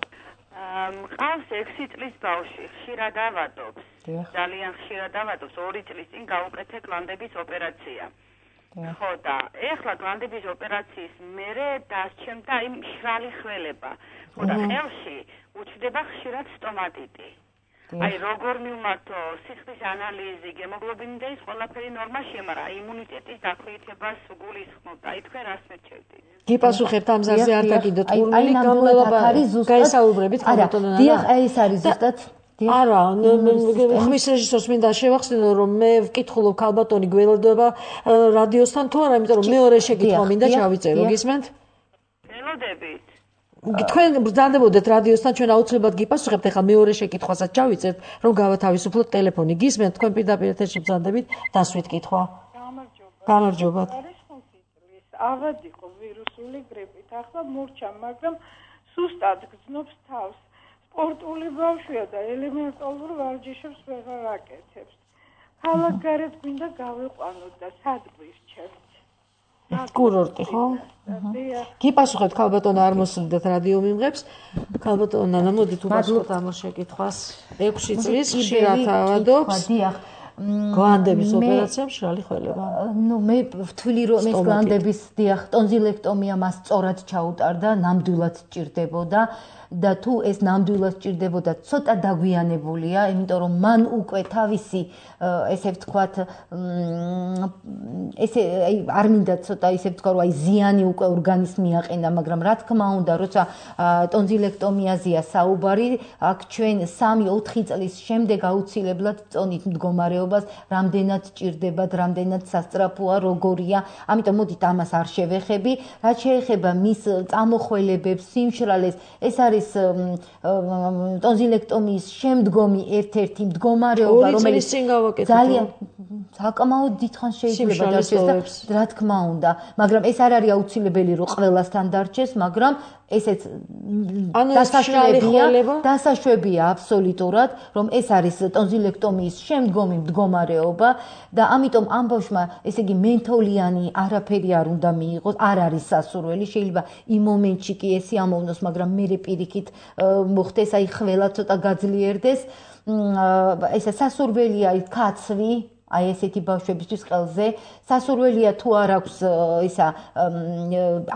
მყავს 6 წლის ბავშვი ხშირად ავადობს ძალიან ხშირად ავადობს 2 წლის წინ გაუკეთე გლანდების ოპერაცია ხო და ეხლა გლანდების ოპერაციის მერე დასჩემდა იმ მშრალი ხველება ხო და ხელში უჩნდება ხშირად სტომატიტი. აი როგორ მივმართო სიხდის ანალიზი, გემოგლობინი და ის ყველაფერი ნორმაშია, მაგრამ იმუნიტეტის დაქვეითებას გულისხმობ. აი თქვენ რას მერჩევდით? გიპასუხებთ ამ ზარზე არ დაგიდოთ ურმელი გამლელობა გაესაუბრებით ხალხთან. დიახ, აი ეს არის ზუსტად არა, ხმის რეჟისორს მინდა შევახსენო, რომ მე ვკითხულობ ქალბატონი გველოდება რადიოსთან თუ არა, იმიტომ რომ მეორე შეკითხვა მინდა ჩავიწერო, გისმენთ? ველოდებით. თქვენ ბრძანდებოდეთ რადიოსთან, ჩვენ აუცილებლად გიპასუხებთ, ახლა მეორე შეკითხვასაც ჩავიწერთ, რომ გავათავისუფლოთ ტელეფონი. გისმენთ, თქვენ პირდაპირ ეთერში ბრძანდებით, დასვით კითხვა. გამარჯობა. არის 5 წლის, ავად იყო ვირუსული გრიპით, ახლა მურჩა, მაგრამ სუსტად გრძნობს თავს. სპორტული ბავშვია და ელემენტარულ ვარჯიშებს ვეღარ აკეთებს. ქალაქ გარეთ გვინდა გავიყვანოთ და სად გვირჩევთ? კურორტი, ხო? გიპასუხებთ ქალბატონო, არ მოსვლიდათ რადიო მიმღებს. ქალბატონო, ნანა, მოდით უბასუხოთ ამ შეკითხვას. 6 წლის ხშირად ავადობს. დიახ. გვანდების ოპერაცია მშრალი ხველება. ნუ მე ვთვლი რომ ეს გვანდების დიახ ტონზილექტომია მას სწორად ჩაუტარდა, ნამდვილად სჭირდებოდა და თუ ეს ნამდვილად სჭირდებოდა, ცოტა დაგვიანებულია, იმიტომ რომ მან უკვე თავისი ესე ვთქვათ ესე აი არ მინდა ცოტა ისე ვთქვა რომ აი ზიანი უკვე ორგანიზმი აყენა, მაგრამ რა თქმა უნდა, როცა ტონზილექტომიაზეა საუბარი, აქ ჩვენ 3-4 წლის შემდეგ აუცილებლად წონით მდგომარეობას, რამდენად სჭირდებათ, რამდენად სასწრაფოა, როგორია, ამიტომ მოდით ამას არ შევეხები. რაც შეეხება მის წამოხველებებს, სიმშრალეს, ეს არის ტონზილექტომიის შემდგომი ერთ-ერთი მდგომარეობა, რომელიც ძალიან საკმაოდ დიდხანს შეიძლება დარჩეს და რა თქმა უნდა, მაგრამ ეს არ არის აუცილებელი რომ ყველასთან დარჩეს, მაგრამ ესეც დასაშვებია აბსოლუტურად, რომ ეს არის ტონზილექტომიის შემდგომი მდგომარეობა და ამიტომ ამ ბავშვმა, ესე იგი მენტოლიანი არაფერი არ უნდა მიიღოს, არ არის სასურველი, შეიძლება იმ მომენტში კი ესი ამოვნოს, მაგრამ მერე პირიქით მოხდეს, აი ხველა ცოტა გაძლიერდეს. ესა სასურველია კაცვი, აი ესეთი ბავშვებისთვის ყელზე, სასურველია თუ არ აქვს ისა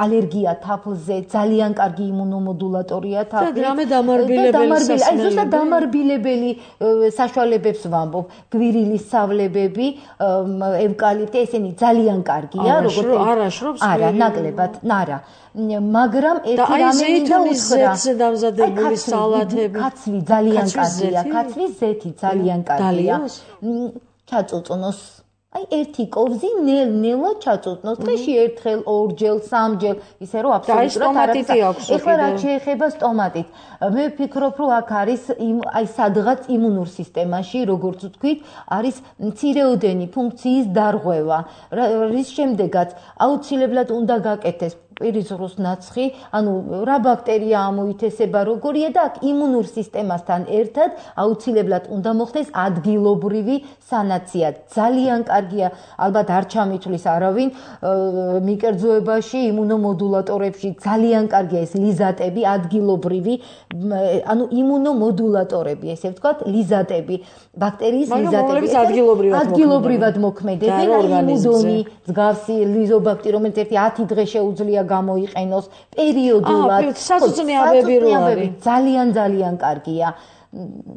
ალერგია თაფლზე, ძალიან კარგი იმუნომოდულატორია თაფლი. და დამარბილებელი, აი ზუსტად დამარბილებელი საშუალებებს ვამბობ, გვირილის სავლებები, ევკალიპტი, ესენი ძალიან კარგია, როგორც არაშრობს. არა, ნაკლებად, არა. მაგრამ ეს რამე მინდა უთხრა. ზეთზე დამზადებული სალათები. კაცვი ძალიან კარგია, კაცვის ზეთი ძალიან კარგია. ჩაწუწნოს. აი ერთი კოვზი ნელ-ნელა ჩაწუწნოს. დღეში ერთხელ, ორჯერ, სამჯერ, ისე რომ აბსოლუტურად არის. ეხლა რა შეეხება სტომატით. მე ვფიქრობ, რომ აქ არის აი სადღაც იმუნურ სისტემაში, როგორც ვთქვით, არის მცირეოდენი ფუნქციის დარღვევა. რის შემდეგაც აუცილებლად უნდა გაკეთდეს პირიზრუს ნაცხი, ანუ რა ბაქტერია ამოითესება, როგორია და აქ იმუნურ სისტემასთან ერთად აუცილებლად უნდა მოხდეს ადგილობრივი სანაცია. ძალიან კარგია, ალბათ არ ჩამითვლის არავინ მიკერძოებაში, იმუნომოდულატორებში ძალიან კარგია ეს ლიზატები, ადგილობრივი, ანუ იმუნომოდულატორები, ესე ვთქვათ, ლიზატები, ბაქტერიის ლიზატები. ადგილობრივად მოქმედებენ, იმუნონი, მსგავსი ლიზობაქტერი, რომელიც 10 დღე შეუძლია გამოიყენოს პერიოდულად. საწუწნიაბები რო არის. ძალიან კარგია.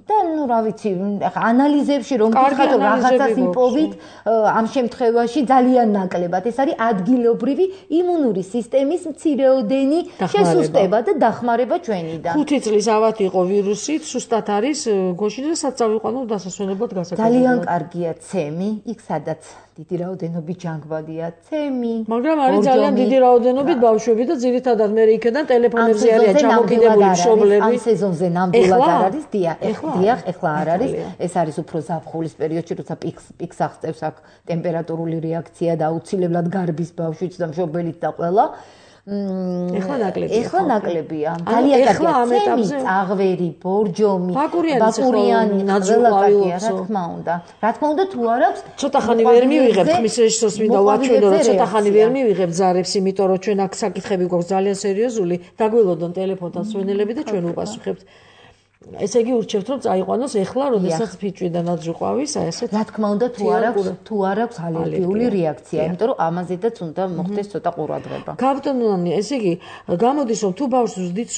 და ნუ რა ვიცი, ახლა ანალიზებში რომ ვთქვათ რაღაცას იპოვით, ამ შემთხვევაში ძალიან ნაკლებად. ეს არის ადგილობრივი იმუნური სისტემის მცირეოდენი შესუსტება და დახმარება ჩვენიდან. 5 წლის ავად იყო ვირუსით, სუსტად არის გოშინ და საწავიყვანო დასასვენებლად გასაკეთებელი. ძალიან კარგია ცემი, იქ სადაც დიდი რაოდენობით ჯანგბადია ცემი. მაგრამ არის ძალიან დიდი რაოდენობით ბავშვები და ძირითადად მე იქიდან ტელეფონებზე არიან ჩამოკიდებული მშობლები. ამ სეზონზე ნამდვილად არ არის. დიახ, ეხლა არ არის. ეს არის უფრო ზაფხულის პერიოდში, როცა პიკს აღწევს აქ ტემპერატურული რეაქცია და აუცილებლად გარბის ბავშვიც და მშობელიც და ყველა. ეხლა ნაკლებია. ძალიან კარგია. ცემი, წაღვერი, ბორჯომი, ბაკურიანი, ყველა კარგია, რა თქმა უნდა. რა თქმა უნდა, თუ არ აქვს, ცოტა ხანი ვერ მივიღებთ, ხმის რეჟისორს მინდა ვაჩვენო, რომ ცოტა ხანი ვერ მივიღებთ ზარებს, იმიტომ რომ ჩვენ აქ საკითხები გვაქვს ძალიან სერიოზული. დაგველოდონ ტელეფონთან სვენელები და ჩვენ უპასუხებთ. ესე იგი ურჩევთ რომ წაიყვანოს ეხლა როდესაც ფიჭვიდან აძრიყვავის აი ესეთ რა თქმა უნდა თუ არ აქვს ალერგიული რეაქცია იმიტომ რომ ამაზედაც უნდა მოხდეს ცოტა ყურადღება გაბტონანი ესე იგი გამოდის რომ თუ ბავშვს ვზდით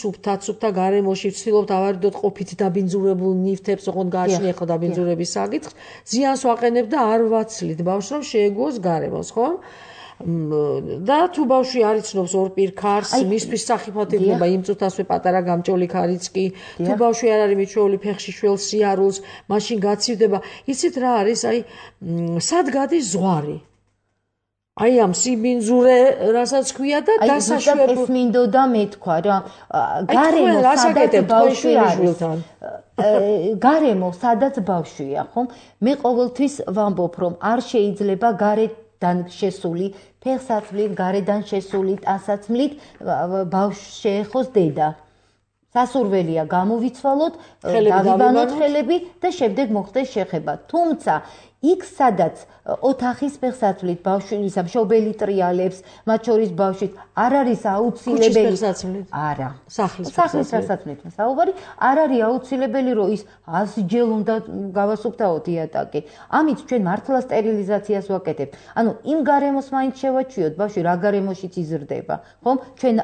სუფთა გარემოში ვცდილობთ ავარიდოთ ყოფით დაბინძურებულ ნივთებს ოღონდ გააჩნია ხო დაბინძურების საკითხს ზიანს ვაყენებ და არ ვაცლით ბავშვს რომ შეეგუოს გარემოს ხო და თუ ბავშვი არ იცნობს ორ პირქარს მისთვის სახიფათო იქნება იმ წუთასვე პატარა გამჭოლი ქარიც კი თუ ბავშვი არ არის მიჩვეული ფეხში შველს სიარულს მაშინ გაცივდება იცით რა არის აი სად გადის ზღვარი აი ამ სიბინძურე რასაც ქვია და დასაშვებად ეს მინდოდა მეთქვა რა გარემო სადაც ბავშვი არის გარემო სადაც ბავშვია ხო მე ყოველთვის ვამბობ რომ არ შეიძლება გარედან შესული ფეხსაცმლით გარედან შესული ტანსაცმლით ბავშვს შეეხოს დედა სასურველია გამოვიცვალოთ დავიბანოთ ხელები და შემდეგ მოხდეს შეხება თუმცა იქ სადაც ოთახის ფეხსაცმლით ბავშვის მშობელი ტრიალებს მათ შორის ბავშვის არ არის აუცილებელი არა სახლის ფეხსაცმლით საუბარი არ არის აუცილებელი რომ ის 100 ჯერ უნდა გავასუფთავოთ იატაკი ამით ჩვენ მართლა სტერილიზაციას ვაკეთებთ ანუ იმ გარემოს მაინც შევაჩვიოთ ბავშვი რა გარემოშიც იზრდება ხომ ჩვენ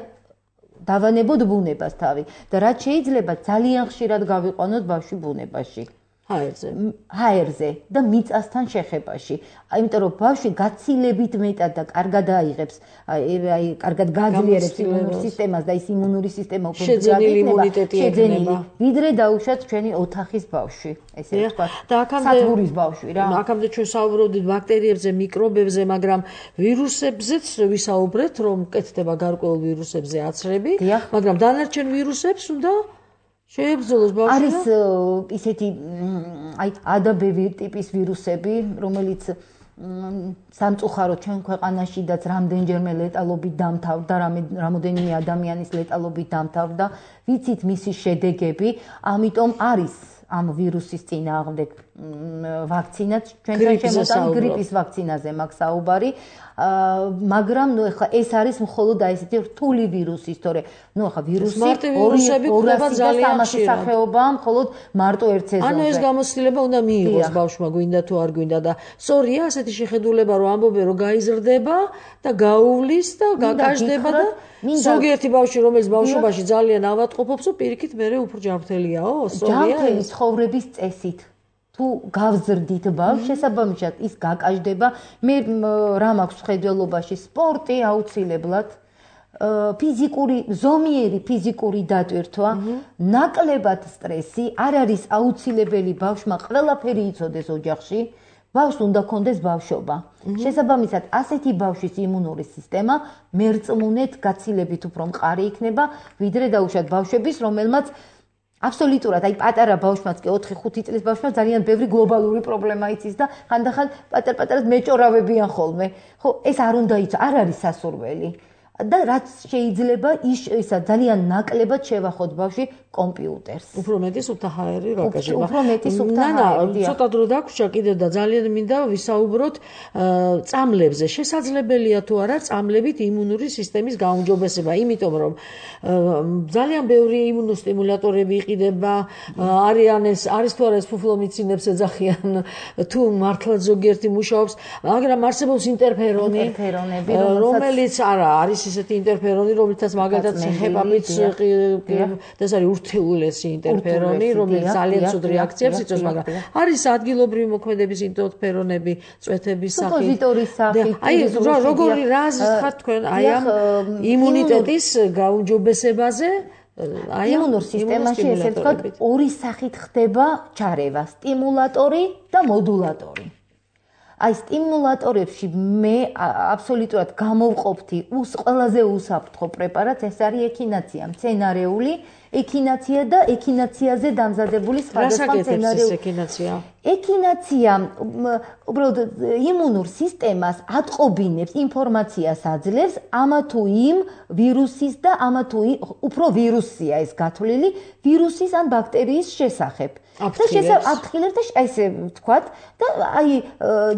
დავანებოთ ბუნებას თავი და რაც შეიძლება ძალიან ხშირად გავიყვანოთ ბავშვი ბუნებაში ჰაერზე და მიწასთან შეხებაში. Იმიტომ რომ ბავშვი გაცილებით მეტად და კარგად აიღებს, აი კარგად გაძლიერებს იმუნურ სისტემას და ის იმუნური სისტემა უფრო შეძენილი იმუნიტეტი ექნება. ვიდრე დაუშვათ ჩვენი ოთახის ბავშვი, ესე ვთქვათ. და აქამდე სათბურის ბავშვი რა. აქამდე ჩვენ საუბრობდით ბაქტერიებზე, მიკრობებზე, მაგრამ ვირუსებზეც ვისაუბრეთ, რომ კეთდება გარკვეულ ვირუსებზე აცრები, მაგრამ დანარჩენ ვირუსებს უნდა შეებრძოლოს ბავშვი. არის ისეთი აი ADB ტიპის ვირუსები, რომელიც სამწუხაროდ ჩვენ ქვეყანაშიდაც რამდენჯერმე ლეტალობით დამთავრდა, რამოდენიმე ადამიანის ლეტალობით დამთავრდა, ვიცით მისი შედეგები, ამიტომ არის ამ ვირუსის წინააღმდეგ ვაქცინაც ჩვენთან შემოწმული გრიპის ვაქცინაზე მაქვს საუბარი. მაგრამ ნუ ახლა ეს არის მხოლოდ აი ესეთი რთული ვირუსი, თორე ნუ ახლა ვირუსი ძალიან სახეობაა, მხოლოდ მარტო ერთ სეზონზე. ანუ ეს გამოცდილება უნდა მიიღოს ბავშვმა, გვინდა თუ არ გვინდა და სწორია ასეთი შეხედულება, რომ ამბობენ, რომ გაიზრდება და გაუვლის და გაკაშდება და ზოგიერთი ბავშვი, რომელიც ბავშვობაში ძალიან ავადმყოფობს, პირიქით მერე უფრო ჯანმრთელიაო, სწორია. ჯანმრთელი ცხოვრების წესით თუ გავზრდით ბავშვს, შესაბამისად ის გაკაშდება. მე რა მაქვს ხედველობაში სპორტი აუცილებლად, ზომიერი ფიზიკური დატვირთვა, ნაკლებად სტრესი, არ არის აუცილებელი ბავშვმა ყველაფერი იცოდეს ოჯახში. ბავშვს უნდა კონდეს ბავშვობა. შესაბამისად, ასეთი ბავშვის იმუნური სისტემა მერწმუნეთ გაცილებით უფრო მყარი იქნება, ვიდრე დაუშვათ ბავშვების, რომელმაც აბსოლუტურად, აი პატარა ბავშვმაც კი 4-5 წლის ბავშვმა ძალიან ბევრი გლობალური პრობლემა იცის და ხანდახან პატარ-პატარად მეჭორავებიან ხოლმე. ხო, ეს არ უნდა იცო, არ არის სასურველი. და რაც შეიძლება ისა ძალიან ნაკლებად შევახოთ ბავშვი კომპიუტერს. უფრო მეტი სუფთა ჰაერი რა გაჟება. უფრო მეტი სუფთა ჰაერი. ცოტა დრო დაგვრჩა კიდევ და ძალიან მინდა ვისაუბროთ წამლებზე. შესაძლებელია თუ არა წამლებით იმუნური სისტემის გაუმჯობესება, იმიტომ რომ ძალიან ბევრი იმუნოსტიმულატორები იყიდება, არის თუ არა ეს ფუფლომიცინებს ეძახიან, თუ მართლაც ზოგიერთი მუშაობს, მაგრამ არსებობს ინტერფერონი, რომელიც არა არის ისეთი ინტერფერონი, რომელიცაც მაგალითად ხებამიც და ეს არის ურთულესი ინტერფერონი, რომელიც ძალიან ცუდ რეაქციებს იწვევს, მაგრამ არის ადგილობრივი მოქმედების ინტერფერონები, წვეთების სახით. სუპოზიტორის სახით. აი როგორი რა ხართ თქვენ აი ამ იმუნიტეტის გაუმჯობესებაზე? აი იმუნურ სისტემაში ესე ვთქვათ, ორი სახით ხდება ჩარევა: სტიმულატორი და მოდულატორი. აი სტიმულატორებში მე აბსოლუტურად გამოვყოფთი ყველაზე უსაფრთხო პრეპარატს, ეს არის ექინაცია, მცენარეული ექინაცია და ექინაციაზე დამზადებული სხვადასხვა მცენარეული ექინაცია. ექინაცია უბრალოდ იმუნურ სისტემას ატყობინებს, ინფორმაციას აძლევს ამა თუ იმ ვირუსის და ამა თუ უფრო ვირუსია ეს გათვლილი ვირუსის ან ბაქტერიის შესახებ. აფრთხილებს და ესე ვთქვათ და აი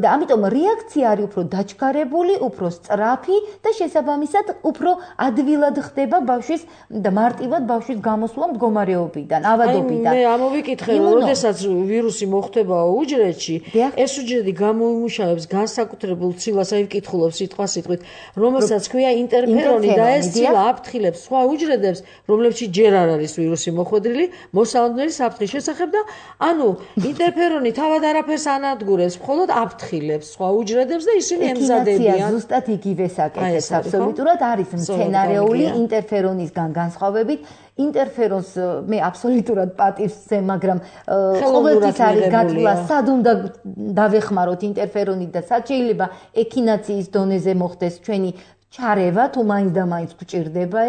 და ამიტომ რეაქცია არის უფრო დაჩქარებული, უფრო სწრაფი და შესაბამისად უფრო ადვილად ხდება ბავშვის და მარტივად ბავშვის გამოსვლა მდგომარეობიდან, ავადობიდან. მე ამოვიკითხე, რომ როდესაც ვირუსი მოხდება უჯრედში, ეს უჯრედი გამოიმუშავებს განსაკუთრებულ ცილას, აი ვკითხულობ სიტყვასიტყვით, რომელსაც ქვია ინტერფერონი და ეს ცილა აფრთხილებს სხვა უჯრედებს, რომლებშიც ჯერ არ არის ვირუსი მოხვედრილი, მოსალოდნელი საფრთხის შესახებ და ანუ ინტერფერონი თავად არაფერს ანადგურებს, მხოლოდ აფრთხილებს სხვა უჯრედებს და ისინი ემზადებიან. ზუსტად იგივეს აკეთებს აბსოლუტურად არის მცენარეული ინტერფერონისგან განსხვავებით ინტერფერონს მე აბსოლუტურად პატივს ვცე, მაგრამ ყოველთვის არის გათვლა სად უნდა დავეხმაროთ ინტერფერონით და სად შეიძლება ექინაციის დონეზე მოხდეს ჩვენი ჩარევა თუ მაინც და მაინც გვჭირდება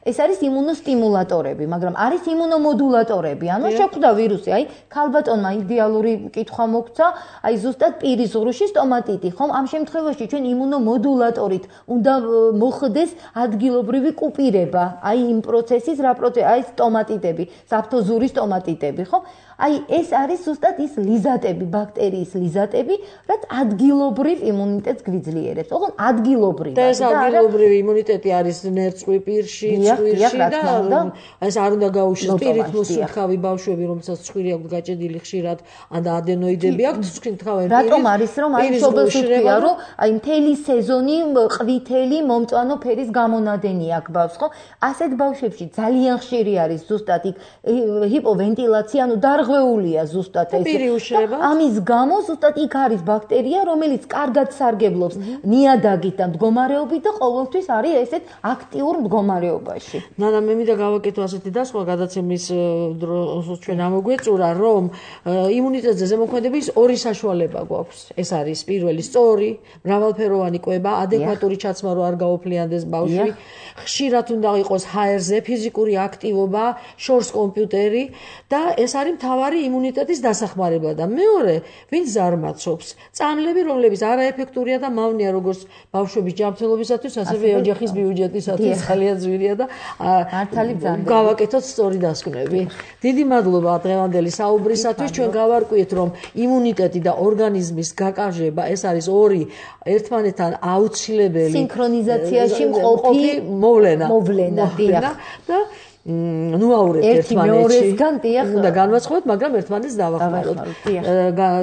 ეს არის იმუნოსტიმულატორები, მაგრამ არის იმუნომოდულატორები. ანუ შეხვდა ვირუსი, აი ქალბატონმა იდეალური კითხვა მოგცა, აი ზუსტად პირის ღრუში სტომატიტი, ხომ? ამ შემთხვევაში ჩვენ იმუნომოდულატორით უნდა მოხდეს ადგილობრივი კუპირება, აი იმ პროცესის, რა პროცესი, აი სტომატიტები, საფთოზური სტომატიტები, ხო? აი ეს არის ზუსტად ის ლიზატები, ბაქტერიის ლიზატები, რაც ადგილობრივ იმუნიტეტს გვიძლიერებს. ოღონდ ადგილობრივ. და ეს ადგილობრივი იმუნიტეტი არის ნერწყვი პირში, ცხვირში და ეს არ უნდა გაუშვეს პირით მოსუხავი ბავშვები, რომელსაც ცხვირი აქვს გაჭედილი ხშირად, ან ადენოიდები აქვს ცხვირთავები. რატომ არის რომ აი შობელს ვთქვია, რომ აი მთელი სეზონი ყვითელი მომწვანო ფერის გამონადენი აქვს ბავშვს, ხო? ასეთ ბავშვებში ძალიან ხშირი არის ზუსტად იქ ჰიპოვენტილაცია, ანუ დარღვეულია ზუსტად ეს. ამის გამო ზუსტად იქ არის ბაქტერია, რომელიც კარგად სარგებლობს ნიადაგით და მდგომარეობით და ყოველთვის არის ესეთ აქტიურ მდგომარეობაში. ნანა, მე მინდა გავაკეთო ასეთი დასხვა გადაცემის დროს ჩვენ ამოგვეწურა, რომ იმუნიტეტზე ზემოქმედების ორი საშუალება გვაქვს. ეს არის პირველი სწორი, მრავალფეროვანი კვება, ადეკვატური ჩაცმა რო არ გაოფლიანდეს ბავშვი. ხშირად უნდა იყოს ჰაერზე ფიზიკური აქტივობა, შორს კომპიუტერი და ეს არის მთავარი იმუნიტეტის დასახმარება და მეორე, ვინც ზარმაცობს, წამლები, რომლებიც არაეფექტურია და მავნია როგორც ბავშვების ჯანმრთელობისათვის, ასევე ოჯახის ბიუჯეტისათვის ძალიან ძვირია და გავაკეთოთ სწორი დასკვნები. დიდი მადლობა დღევანდელი საუბრისათვის. ჩვენ გავარკვიეთ, რომ იმუნიტეტი და ორგანიზმის გაკავშირება ეს არის ორი ერთმანეთთან აუცილებელი სინქრონიზაციაში მყოფი მოვლენა და ნუაურებთ ერთმანეთში. უნდა განვაცხადოთ, მაგრამ ერთმანეთს დავახმაროთ.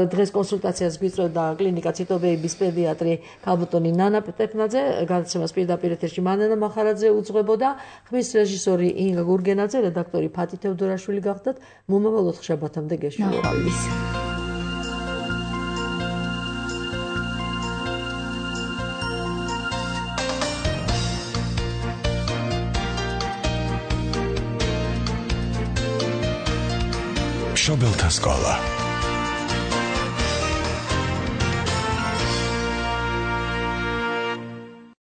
დღეს კონსულტაციას გვიწევდა კლინიკა ციტობეების პედიატრი ქალბატონი ნანა პეტეფნაძე, გადაცემას პირდაპირ ეთერში მანანა მახარაძე უძღვებოდა, ხმის რეჟისორი ინგა გურგენაძე, რედაქტორი ფათი თევდორაშვილი გახდათ. მომავალ ოთხშაბათამდე გეშველოყავის. შობელთა სკოლა